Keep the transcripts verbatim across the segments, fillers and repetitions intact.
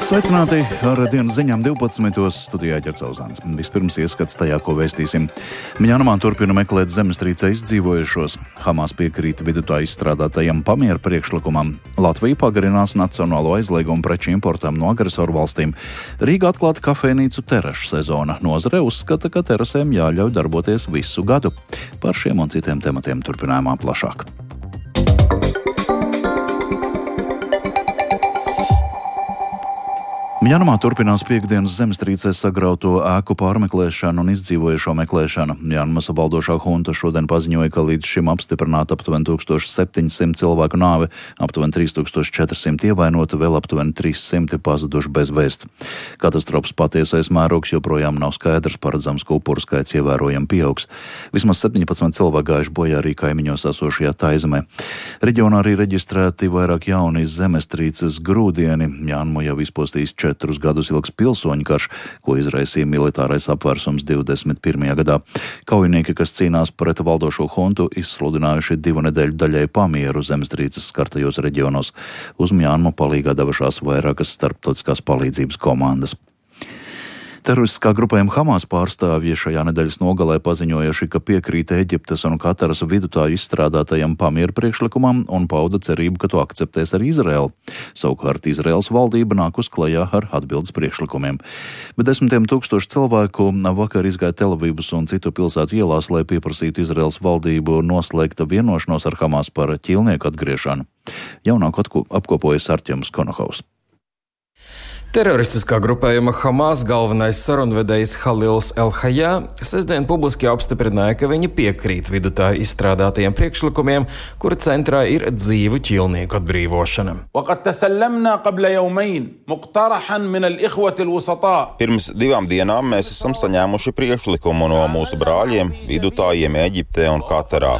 Sveicināti ar dienas ziņām divpadsmitos studijā Ģercauzāns. Vispirms ieskats tajā, ko vēstīsim. Mjanmā turpina meklēt zemestrīcē izdzīvojušos. Hamas piekrīt vidutāju izstrādātajam pamiera priekšlikumam. Latvija pagarinās nacionālo aizliegumu preču importam no agresoru valstīm. Rīga atklāta kafejnīcu terašu sezona. Nozare uzskata, ka terasēm jāļauj darboties visu gadu. Par šiem un citiem tematiem turpinājumā plašāk. Mjanmā turpinās piekdienas zemestrīcē sagrauto ēku pārmeklēšanu un izdzīvojušo meklēšanu. Mjanmas valdošā hunta šodien paziņoja, ka līdz šim apstiprināta aptuveni tūkstoš septiņi simti cilvēku nāve, aptuveni trīs tūkstoši četri simti ievainoti, vēl aptuveni trīs simti pazuduši bez vēsts. Katastrofas patiesais mērogs joprojām nav skaidrs, paredzams, ka upuru skaits ievērojami pieaugs. Vismaz septiņpadsmit cilvēki gājuši bojā arī kaimiņos esošajā Taizemē. Reģionā arī reģistrēti vairāk jauni zemestrīces grūdieni. Mjanmu jau izpostījis četrus gadus ilgs pilsoņu karš, ko izraisīja militārais apvērsums divdesmit pirmajā gadā. Kaujinieki, kas cīnās pret valdošo huntu, izsludinājuši divu nedēļu daļai pamieru zemestrīces skartajos reģionos. Uz Mjanmu palīgā devušās vairākas starptautiskās palīdzības komandas. Teroristiskā grupējuma Hamas pārstāvji šajā nedēļas nogalē paziņojuši, ka piekrīt Eģiptes un Kataras vidutāju izstrādātajam pamieru priekšlikumam un pauda cerību, ka to akceptēs arī Izraela. Savukārt Izraels valdība nāk uz klajā ar atbildes priekšlikumiem. Bet desmitiem tūkstoši cilvēku vakar izgāja Telavivas un citu pilsētu ielās, lai pieprasītu Izraels valdību noslēgta vienošanos ar Hamas par ķīlnieku atgriešanu. Jaunāku apkopojas Artjoms Konohaus. Teroristiskā grupējuma Hamas galvenais sarunvedējs Halils El-Hayā sestdien publiski apstiprināja, ka viņi piekrīt vidutāju izstrādātajiem priekšlikumiem, kura centrā ir dzīvu ķīlnieku atbrīvošana. Pirms divām dienām mēs esam saņēmuši priekšlikumu no mūsu brāļiem, vidutājiem Eģiptē un Katarā.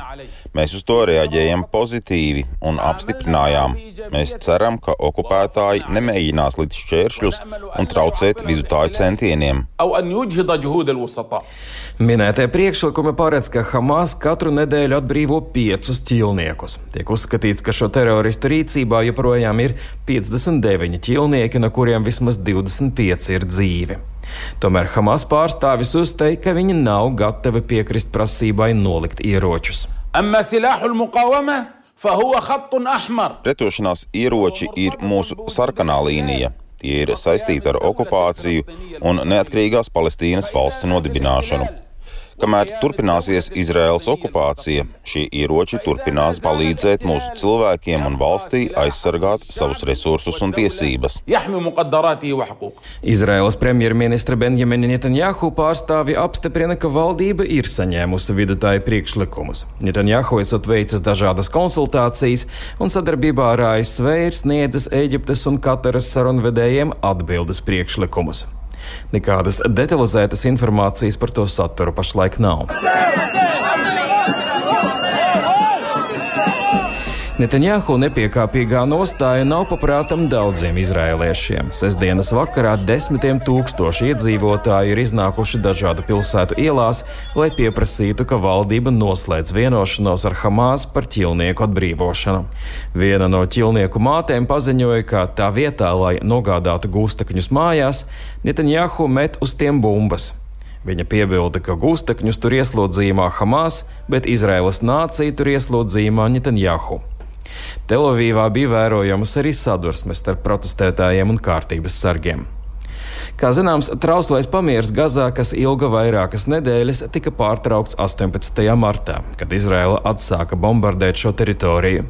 Mēs uz to reaģējam pozitīvi un apstiprinājām. Mēs ceram, ka okupētāji nemēģinās līdz šķēršļus un traucēt vidutāju centieniem. Minētie priekšlikumi paredz, ka Hamas katru nedēļu atbrīvo piecus ķīlniekus. Tiek uzskatīts, ka šo teroristu rīcībā joprojām ir piecdesmit deviņi ķīlnieki, no kuriem vismaz divdesmit pieci ir dzīvi. Tomēr Hamas pārstāvis uzteica, ka viņi nav gatavi piekrist prasībai nolikt ieročus. Pretošanās ieroči ir mūsu sarkanā līnija. Tie ir saistīti ar okupāciju un neatkarīgās Palestīnas valsts nodibināšanu. Kamēr turpināsies Izraēlas okupācija, šie ieroči turpinās palīdzēt mūsu cilvēkiem un valstī aizsargāt savus resursus un tiesības. Izraēlas premjerministra Benjamina Netanjahu pārstāvi apstiprina, ka valdība ir saņēmusi vidutāju priekšlikumus. Netanjahu esot veicis dažādas konsultācijas un sadarbībā ar A S V ir sniedzis Eģiptes un Kataras sarunvedējiem atbildes priekšlikumus. Nekādas detalizētas informācijas par to saturu pašlaik nav. Netanjahu nepiekāpīgā nostāja nav paprātam daudziem izraēliešiem. Sestdienas vakarā desmitiem tūkstoši iedzīvotāji ir iznākuši dažādu pilsētu ielās, lai pieprasītu, ka valdība noslēdz vienošanos ar Hamas par ķīlnieku atbrīvošanu. Viena no ķīlnieku mātēm paziņoja, ka tā vietā, lai nogādātu gūstekņus mājās, Netanjahu met uz tiem bumbas. Viņa piebilda, ka gūstekņus tur ieslodzījumā Hamas, bet Izraēlas nācija tur ieslodzījumā Netanjahu. Telavīvā bija vērojams arī sadursmes starp protestētājiem un kārtības sargiem. Kā zināms, trauslais pamiers Gazā, kas ilga vairākas nedēļas, tika pārtraukts astoņpadsmitajā martā, kad Izraela atsāka bombardēt šo teritoriju.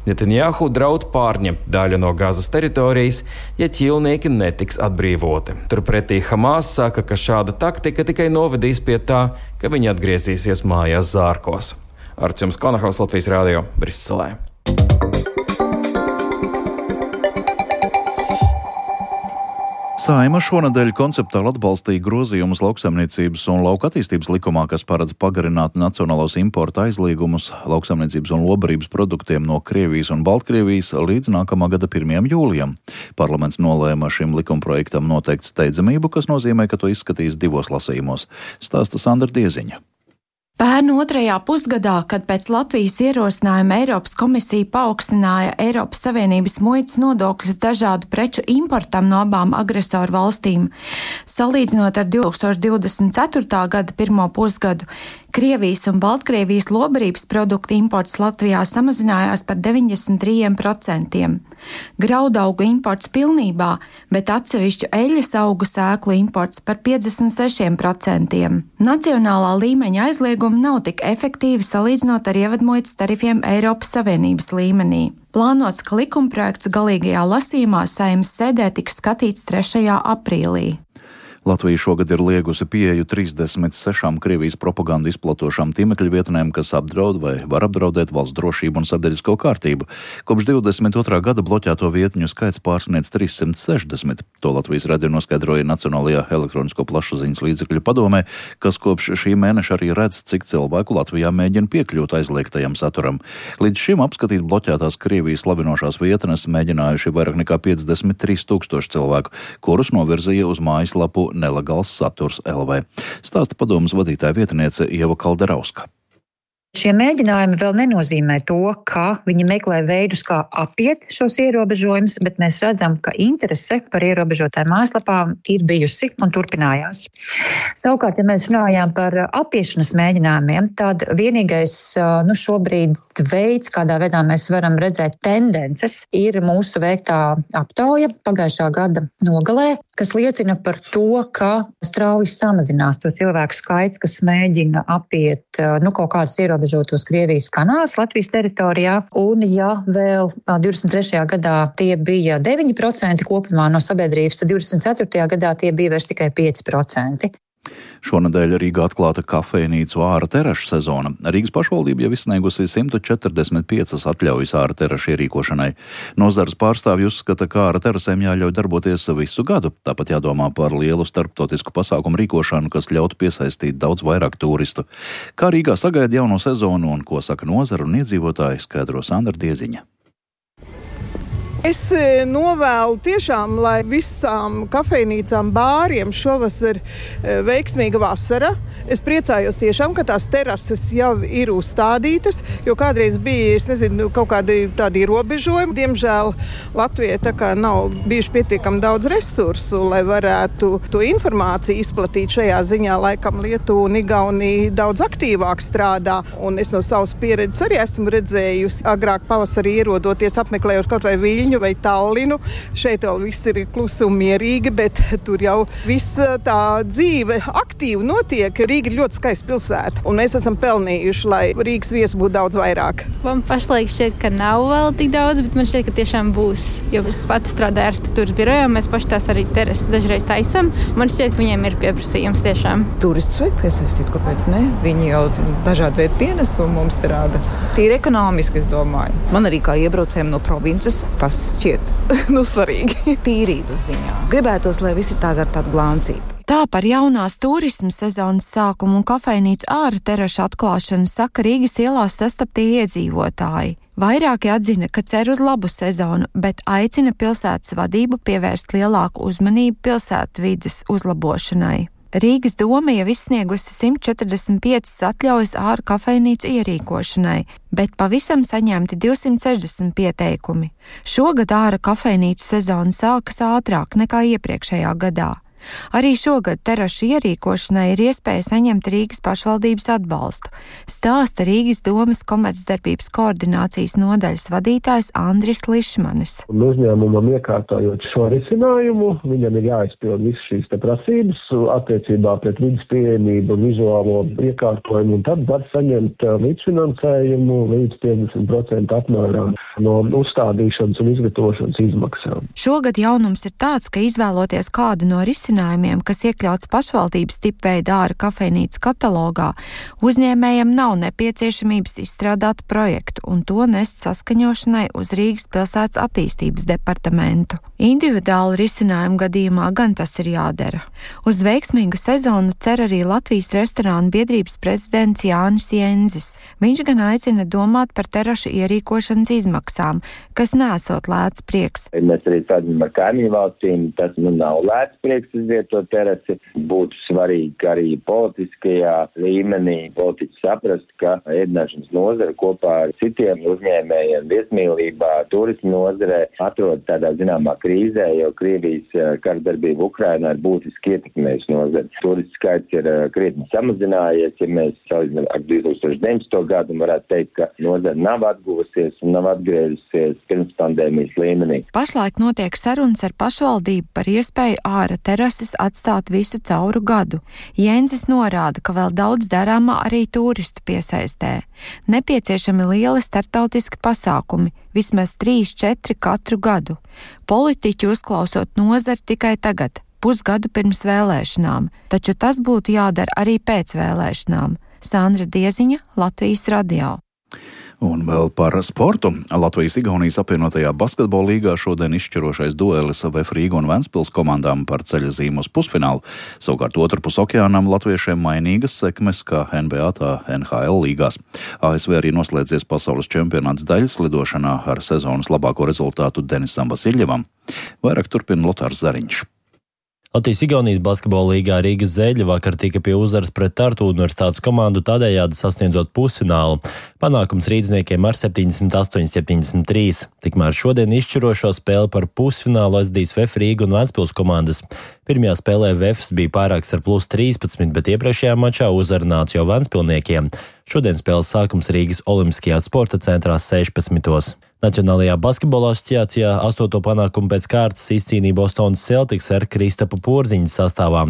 Netanjahu draud pārņemt daļu no Gazas teritorijas, ja ķīlnieki netiks atbrīvoti. Turpretī Hamas saka, ka šāda taktika tikai novedīs pie tā, ka viņi atgriezīsies mājās zārkos. Artjoms Konohaus, Latvijas radio, Briselē. Saeima šonadēļ konceptuāli atbalstīja grozījumus lauksaimniecības un lauka attīstības likumā, kas paredz pagarināt nacionālos importa aizliegumus lauksaimniecības un lobarības produktiem no Krievijas un Baltkrievijas līdz nākamā gada pirmajam jūlijam. Parlaments nolēma šim likumprojektam noteikt steidzamību, kas nozīmē, ka to izskatīs divos lasījumos. Stāsta Sandra Dieziņa. Pērn otrajā pusgadā, kad pēc Latvijas ierosinājuma Eiropas komisija paaugstināja Eiropas Savienības muitas nodokļus dažādu preču importam no abām agresoru valstīm, salīdzinot ar divi tūkstoši divdesmit ceturtā gada pirmo pusgadu, Krievijas un Baltkrievijas lobarības produktu imports Latvijā samazinājās par deviņdesmit trīs procent. Graudaugu imports pilnībā, bet atsevišķu eļļas augu sēklu imports par piecdesmit seši procenti. Nacionālā līmeņa aizliegumi nav tik efektīvi salīdzinot ar ievadmuitas tarifiem Eiropas Savienības līmenī. Plānots, ka likumprojekts galīgajā lasījumā Saeimas sēdē tiks skatīts trešajā aprīlī. Latvija šogad ir liegusi pieeju trīsdesmit sešām Krievijas propagandu izplatošām tīmekļa vietnēm, kas apdraud vai var apdraudēt valsts drošību un sabiedrisko kārtību. Kopš divdesmit otrā gada bloķēto vietņu skaits pārsniedz trīssimt sešdesmit. To Latvijas radio noskaidroja Nacionālajā elektronisko plašsaziņas līdzekļu padomē, kas kopš šī mēneša arī redz, cik cilvēku Latvijā mēģina piekļūt aizliegtajam saturam. Līdz šim apskatīt bloķētās Krievijas slavinošās vietnes mēģinājuši vairāk nekā piecdesmit trīs tūkstoši cilvēku, kurus novirzīja uz mājaslapu Nelegāls saturs L V. Stāsta padomas vadītāja vietniece Ieva Kalderauska. Šie mēģinājumi vēl nenozīmē to, ka viņi meklē veidus, kā apiet šos ierobežojumus, bet mēs redzam, ka interese par ierobežotām mājaslapām ir bijusi un turpinājās. Savukārt, ja mēs runājām par apiešanas mēģinājumiem, tad vienīgais nu, šobrīd veids, kādā veidā mēs varam redzēt tendences, ir mūsu veiktā aptauja pagājušā gada nogalē, kas liecina par to, ka strauji samazinās to cilvēku skaits, kas mēģina apiet nu, kaut kādus ierobežotos Krievijas kanālus Latvijas teritorijā. Un ja vēl divdesmit trešajā gadā tie bija deviņi procenti kopumā no sabiedrības, tad divdesmit ceturtajā gadā tie bija vairs tikai pieci procenti. Šonedēļ Rīgā atklāta kafejnīcu āra terašu sezona. Rīgas pašvaldība jau izsniegusi simt četrdesmit piecas atļaujas āra terašu ierīkošanai. Nozares pārstāvji uzskata, ka āra terasēm jāļauj darboties visu gadu. Tāpat jādomā par lielu starptautisku pasākumu rīkošanu, kas ļautu piesaistīt daudz vairāk turistu. Kā Rīgā sagaida jauno sezonu un ko saka nozara un iedzīvotāji, skaidro Sandra Dieziņa. Es novēlu tiešām, lai visām kafejnīcām, bāriem šovasar veiksmīga vasara. Es priecājos tiešām, ka tās terases jau ir uzstādītas, jo kādreiz bija, es nezinu, kaut kādi tādi ierobežojumi. Diemžēl Latvijai tā kā nav bijuši pietiekami daudz resursu, lai varētu to informāciju izplatīt šajā ziņā. Laikam Lietuva un Igaunija daudz aktīvāk strādā, un es no savas pieredzes arī esmu redzējusi agrāk pavasarī ierodoties, apmeklējot kaut vai Viļņu vai Tallinu. Šeit vēl viss ir klusi un mierīgi, bet tur jau viss tā dzīve aktīvi notiek. Rīga ir ļoti skaista pilsēta, un mēs esam pelnījuši, lai Rīgas viesu būtu daudz vairāk. Man pašlaik šķiet, ka nav vēl tik daudz, bet man šķiet, ka tiešām būs. Jo es pats strādāju ar turismu birojā, mēs paši tās arī terases dažreiz taisam. Man šķiet, ka viņiem ir pieprasījums tiešām. Turistus vajag piesaistīt, kāpēc ne? Viņi jau dažādi veidi pienesumu mums te rāda. Tīri ekonomiski, es domāju. Man arī kā iebraucējiem no provinces tas šķiet nu, svarīgi. Tīrības ziņā. Gribētos, lai visi tādi ar tādu glāncīti. Tā par jaunās turisma sezonas sākumu un kafejnīcu āra terašu atklāšanu saka Rīgas ielās sastaptie iedzīvotāji. Vairāki atzina, ka cer uz labu sezonu, bet aicina pilsētas vadību pievērst lielāku uzmanību pilsētvides uzlabošanai. Rīgas doma jau izsniegusi simt četrdesmit piecas atļaujas āra kafejnīcu ierīkošanai, bet pavisam saņemti divsimt sešdesmit pieteikumi. Šogad āra kafejnīcu sezona sākas ātrāk nekā iepriekšējā gadā. Arī šogad terašu ierīkošanai ir iespēja saņemt Rīgas pašvaldības atbalstu, stāsta Rīgas domas komercdarbības koordinācijas nodaļas vadītājs Andris Lišmanis. Uzņēmumam iekārtojot šo risinājumu, viņam ir jāizpild visas šīs te prasības attiecībā pret vidas pieejamību un vizuālo iekārtojumu, un tad var saņemt līdzfinansējumu līdz piecdesmit procentu apmērā no uzstādīšanas un izgatavošanas izmaksām. Šogad jaunums ir tāds, ka izvēloties kādu no risinājumiem, kas iekļauts pašvaldības tipveida āra kafejnīcas katalogā, uzņēmējam nav nepieciešamības izstrādāt projektu un to nest saskaņošanai uz Rīgas pilsētas attīstības departamentu. Individuāli risinājumu gadījumā gan tas ir jādara. Uz veiksmīgu sezonu cer arī Latvijas restorānu biedrības prezidents Jānis Jenzis. Viņš gan aicina domāt par terašu ierīkošanas izmaksām, kas nesot lēts prieks. Mēs arī redzam ar kaimiņu valstīm, tas nu nav lēts prieks, es aizvietot terasi. Būtu svarīgi arī politiskajā līmenī politiķi saprast, ka ēdināšanas nozara kopā ar citiem uzņēmējiem viesmīlībā, turismu nozarē atrodas tādā zināmā krīzē, jo Krievijas karadarbība Ukrainā ir būtiski ietekmējusi nozari. Turistu skaits ir krietni samazinājies, ja mēs salīdzinām ar divi tūkstoši deviņpadsmito gadu, un varētu teikt, ka nozara nav atguvusies un nav atgriezusies pirms pandēmijas līmenī. Pašlaik notiek sarunas ar pašvaldību par iespēju āra terases atstāt visu cauru gadu. Jēnzis norāda, ka vēl daudz darāmā arī turistu piesaistē. Nepieciešami lieli starptautiski pasākumi, vismaz trīs, četri katru gadu. Politiķi uzklausot nozari tikai tagad, pusgadu pirms vēlēšanām, taču tas būtu jādara arī pēc vēlēšanām. Sandra Dieziņa, Latvijas radio. Un vēl par sportu. Latvijas-Igaunijas apvienotajā basketbola līgā šodien izšķirošais duelis V F Rīga un Ventspils komandām par ceļazīmu uz pusfinālu. Savukārt otrpus okeānam latviešiem mainīgas sekmes kā N B A tā N H L līgās. A S V arī noslēdzies pasaules čempionāts daļas lidošanā ar sezonas labāko rezultātu Denisam Vasiljevam. Vairāk turpina Lotārs Zariņš. Latvijas-Igaunijas basketbola līgā Rīgas Zeļi vakar tika pie uzvaras pret Tartu universitātes komandu, tādējādi sasniedzot pusfinālu. Panākums rīdzniekiem ar septiņdesmit astoņi septiņdesmit trīs. Tikmēr šodien izšķirošo spēli par pusfinālu aizdīs V F Rīga un Ventspils komandas. Pirmajā spēlē Vefs bija pārāks ar plus trīspadsmit, bet iepriekšējā mačā uzvaru nāca jau Ventspilniekiem. Šodien spēles sākums Rīgas Olimpiskajā sporta centrā sešpadsmitos. Nacionālajā basketbola asociācijā astoto panākumu pēc kārtas izcīnīja Bostonas Celtics ar Kristapa Porziņa sastāvā.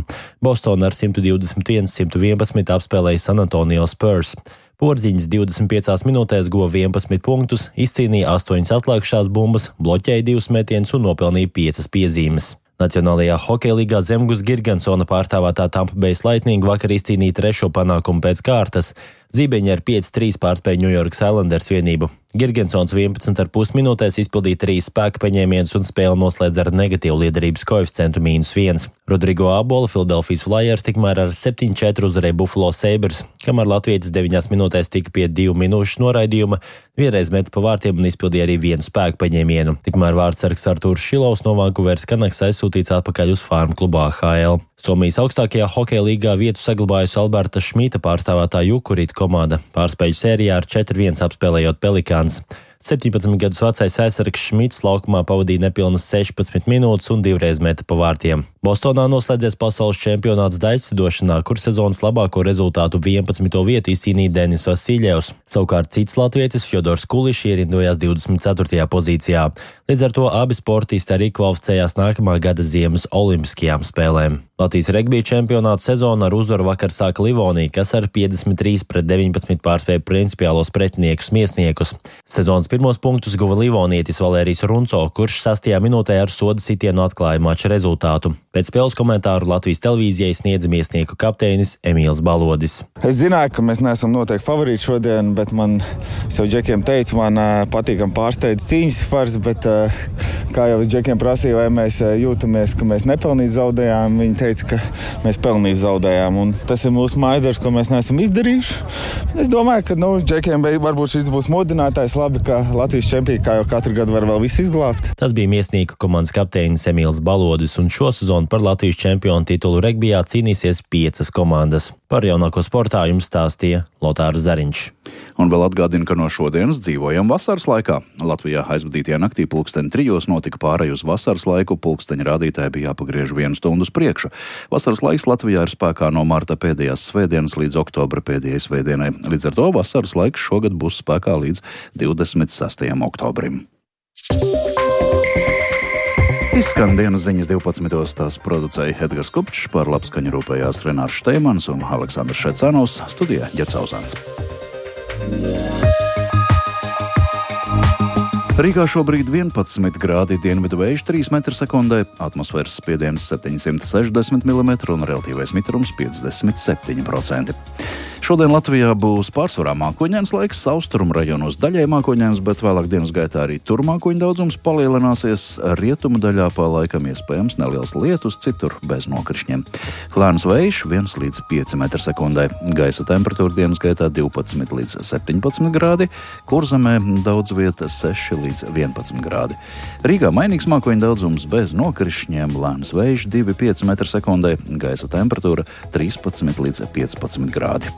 Bostona ar simt divdesmit viens simt vienpadsmit apspēlēja San Antonio Spurs. Porziņš divdesmit piecās minūtēs guva vienpadsmit punktus, izcīnīja astoņas atlikušās bumbas, bloķēja divus metienus un nopelnīja piecas piezīmes. Nacionālajā hokeja līgā Zemgus Girgensona pārstāvētā Tampa Bay Lightning vakar izcīnīja trešo panākumu pēc kārtas. Zībeņi ar pieci trīs pārspēja New York Islanders vienību. Girgensons vienpadsmit ar pus minūtēs izpildīja trīs spēka paņēmienus un spēli noslēdz ar negatīvu liederības koeficientu mīnus viens. Rodrigo Abola Philadelphia Flyers tikmēr ar septiņi četri uzvarēja Buffalo Sabres, kamēr latvietis deviņās minūtēs tika pie divu minūšu noraidījuma, vienreiz meta pa vārtiem un izpildīja arī vienu spēka paņēmienu. Tikmēr vārdsargs Artūrs Šilovs no Vancouveras Canucks aizsūtīts atpakaļ uz farmu klubā A H L. Somijas augstākajā hokeja līgā vietu saglabājusi Alberta Šmita pārstāvētā Jukurīt komanda, pārspēļu sērijā ar četri viens apspēlējot Pelikāns. septiņpadsmit gadus vecais aizsargs Šmits laukumā pavadīja nepilnas sešpadsmit minūtes un divreiz meta pa vārtiem. Bostonā noslēdzies pasaules čempionāts daļslidošanā, kur sezonas labāko rezultātu vienpadsmito vietu izcīnīja Denis Vasiljevs. Savukārt cits latvietis Fjodors Kulišs ierindojās divdesmit ceturtajā pozīcijā. Līdz ar to abi sportisti arī kvalificējās nākamā gada ziemas olimpiskajām spēlēm. Latvijas regbija čempionātu sezonu ar uzvaru vakar sāka Livonija, kas ar piecdesmit trīs pret deviņpadsmit pārspēja principiālos pretiniekus Miesniekus. Sezonas pirmos punktus guva Livonietis Valērijs Runco, kurš sastajā minūtē ar soda sitienu atklāja mača rezultātu. Pēc spēles komentāru Latvijas televīzijai sniedza Miesnieku kapteinis Emīls Balodis. Es zināju, ka mēs neesam noteikti favorīti šodien, bet man, es jau džekiem teicu, man patīkam pārsteidz cīņas fars, bet kā jau džekiem prasīja, vai mēs jūtamies, ka mēs nepelnīt zaudējām, viņi teica, ka mēs pelnīt zaudējām, un tas ir mūsu mājasdarbs, ko mēs neesam izdarījuši. Es domāju, ka, nu, džekiem varbūt šis būs modinātājs, labi, ka Latvijas čempioni, kā jau katru gadu var vēl visu izglābt. Tas bija Miesnieku komandas kapteinis Emīls Balodis, un šo sezonu par Latvijas čempionu titulu regbijā cīnīsies piecas komandas. Par jaunāko sportā jums stāstīja Lotārs Zariņš. Un vēl atgādina, ka no šodienas dzīvojam vasaras laikā. Latvijā aizvadītajā naktī pulksteni trijos notika pārēj uz vasaras laiku, pulksteņa rādītāji bija jāpagriež vienu stundu uz priekšu. Vasaras laiks Latvijā ir spēkā no marta pēdējās svētdienas līdz oktobra pēdējai svētdienai. Līdz ar to vasaras laiks šogad būs spēkā līdz divdesmit sastajam oktobrim. Izskan dienas ziņas divpadsmitos, tās producēja Edgars Kupčs, par labskaņu rūpējās Renārs Šteimans un Aleksandrs Šecanovs, studijā Ģerts Auzāns. Rīgā šobrīd vienpadsmit grādi, dienvidu vējš trīs metri sekundē, atmosfēras spiediens septiņsimt sešdesmit milimetri un relatīvais mitrums piecdesmit septiņi procenti. Šodien Latvijā būs pārsvarā mākoņains laiks, austrumu rajonos daļai mākoņains, bet vēlāk dienas gaitā arī tur mākoņu daudzums palielināsies. Rietumu daļā pa laikam iespējams neliels lietus, citur bez nokrišņiem. Lēns vējš viens līdz pieci metri sekundē. Gaisa temperatūra dienas gaitā divpadsmit līdz septiņpadsmit grādi, Kurzemē daudz vieta seši līdz vienpadsmit grādi. Rīgā mainīgs mākoņu daudzums bez nokrišņiem, lēns vējš divi līdz pieci metri sekundē, gaisa temperatūra trīspadsmit līdz piecpadsmit grādi.